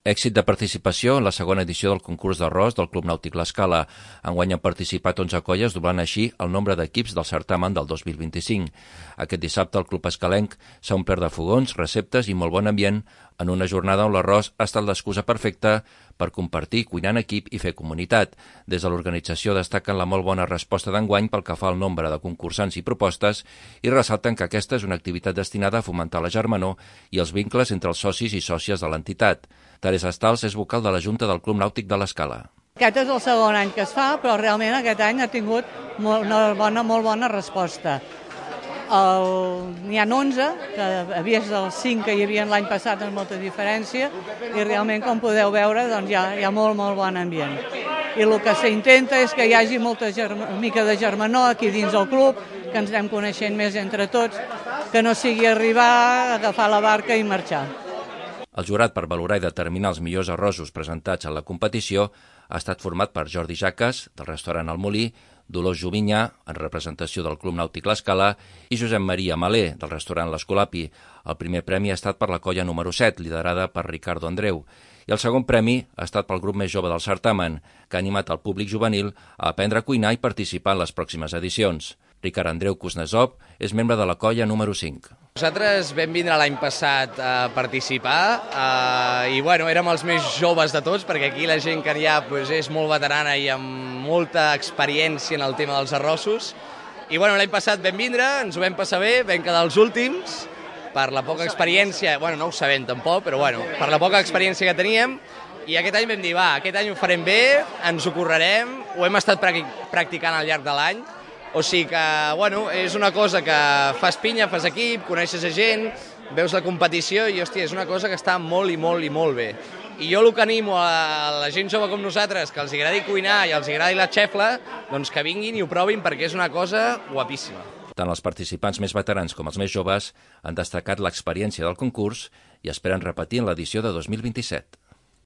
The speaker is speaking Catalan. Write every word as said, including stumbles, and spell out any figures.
Èxit de participació en la segona edició del concurs d'arròs del Club Nàutic L'Escala. Enguany han participat onze colles, doblant així el nombre d'equips del certamen del dos mil vint-i-cinc. Aquest dissabte el Club Escalenc s'ha omplert de fogons, receptes i molt bon ambient en una jornada on l'arròs ha estat l'excusa perfecta per compartir, cuinar en equip i fer comunitat. Des de l'organització destaquen la molt bona resposta d'enguany pel que fa al nombre de concursants i propostes i ressalten que aquesta és una activitat destinada a fomentar la germanor i els vincles entre els socis i sòcies de l'entitat. Teresa Stals és vocal de la Junta del Club Nàutic de l'Escala. Aquest és el segon any que es fa, però realment aquest any ha tingut molt, una bona, molt bona resposta. N'hi ha onze, que havia els cinc que hi havia l'any passat amb molta diferència, i realment, com podeu veure, doncs hi ha, hi ha molt, molt bon ambient. I el que s'intenta és que hi hagi molta germa, mica de germanor aquí dins del club, que ens anem coneixent més entre tots, que no sigui arribar, agafar la barca i marxar. El jurat per valorar i determinar els millors arrossos presentats en la competició ha estat format per Jordi Jaques, del restaurant El Molí, Dolors Jovinyà, en representació del Club Nàutic L'Escala, i Josep Maria Malé, del restaurant L'Escolapi. El primer premi ha estat per la colla número set, liderada per Ricardo Andreu, i el segon premi ha estat pel grup més jove del certamen, que ha animat el públic juvenil a aprendre a cuinar i participar en les pròximes edicions. Ricard Andreu Kuznetsov és membre de la colla número cinc. Nosaltres vam vindre l'any passat a participar eh, i bueno, érem els més joves de tots, perquè aquí la gent que hi ha pues, és molt veterana i amb molta experiència en el tema dels arrossos. I bueno, l'any passat vam vindre, ens ho vam passar bé, vam quedar els últims per la poca experiència, bueno, no ho sabem tampoc, però bueno, per la poca experiència que teníem. I aquest any vam dir, va, aquest any ho farem bé, ens ho currarem, ho hem estat practicant al llarg de l'any. O sigui que, bueno, és una cosa que fas pinya, fas equip, coneixes a gent, veus la competició i, hòstia, és una cosa que està molt i molt i molt bé. I jo el que animo a la gent jove com nosaltres, que els agradi cuinar i els agradi la xefla, doncs que vinguin i ho provin perquè és una cosa guapíssima. Tant els participants més veterans com els més joves han destacat l'experiència del concurs i esperen repetir en l'edició de dos mil vint-i-set.